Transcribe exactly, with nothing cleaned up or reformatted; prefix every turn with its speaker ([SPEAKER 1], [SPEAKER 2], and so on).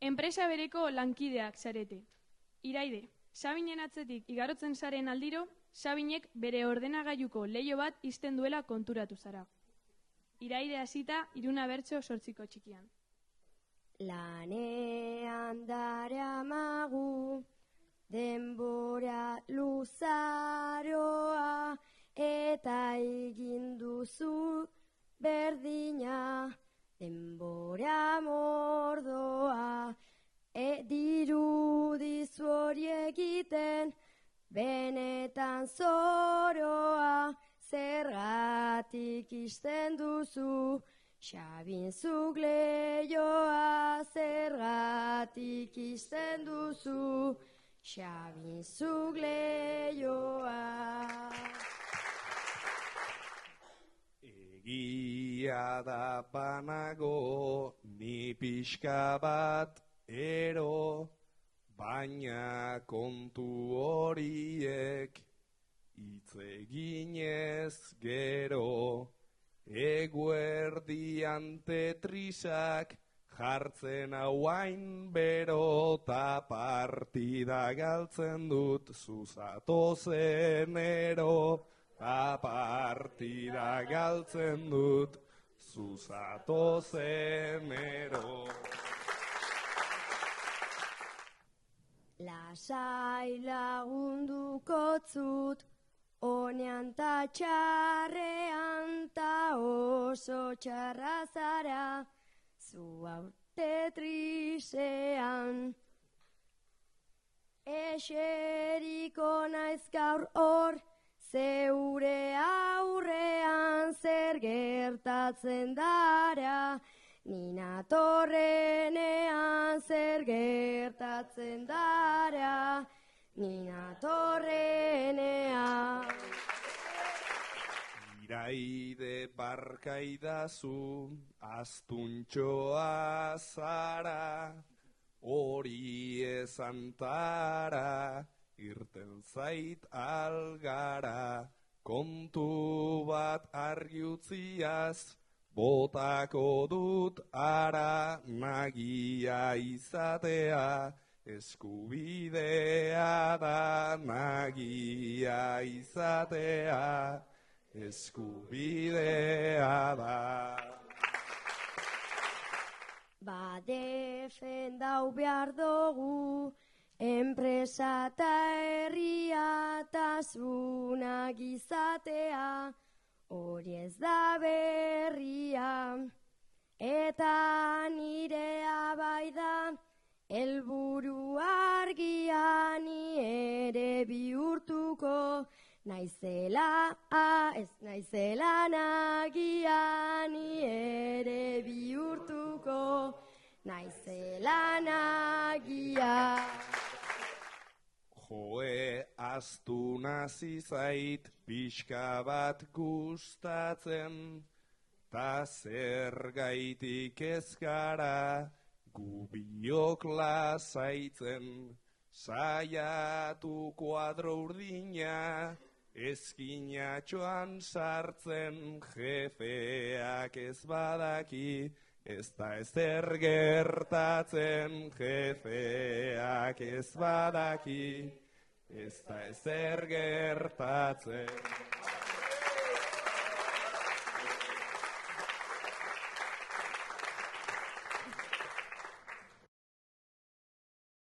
[SPEAKER 1] Enpresa bereko lankideak zarete. Iraide, Sabinen atzetik igarotzen zaren aldiro, Sabinek bere ordenagailuko leiho bat ixten duela konturatu zara. Iraide hasita Iruna bertso sortziko txikian.
[SPEAKER 2] Lanean daramagu, denbora luzaroa, eta egin duzu berdina, denbora mordoa, e dirudizu hori egiten, benetan zoroa, zergatik ixten duzu, Sabin zuk leihoa, zergatik ixten duzu, Sabin zuk leihoa.
[SPEAKER 3] Egia da banago, ni pixka bat ero, baina kontu horiek hitz eginez gero. Eguerdian tetrisak jartzen hauain bero, ta partida galtzen dut zuzatozen ero, ta partida galtzen dut zuzatozen ero.
[SPEAKER 2] Lasai lagunduko zut, onean ta txarrean ta oso txarra zara, zu haute trisean. Eseriko naiz gaur hor, zeure aurrean zer gertatzen dara, nina torrenean zer gertatzen dara, nina torrenean.
[SPEAKER 3] Iraide barkaidazu, astuntxoa zara, hori ezantara, irten zait algara, kontu bat argi utziaz, botako dut ara, nagia izatea, eskubidea da, nagia izatea, eskubidea da.
[SPEAKER 2] Ba defendau behar dugu, enpresa eta herria tasunak izatea, hori ez da berria, eta nirea bai da, helburu argia ni ere bihurtuko, naizela, ez naizela nagia ni ere bihurtuko, naizela nagia.
[SPEAKER 3] Joe, astu nazi zait, pixka bat gustatzen, ta zergaitik ez gara, gu biok lasaitzen, saiatu kuadro urdina, eskinatxoan sartzen, jefeak ez badaki, ez da ezer gertatzen, jefeak ez badaki, ez da ezer gertatzen.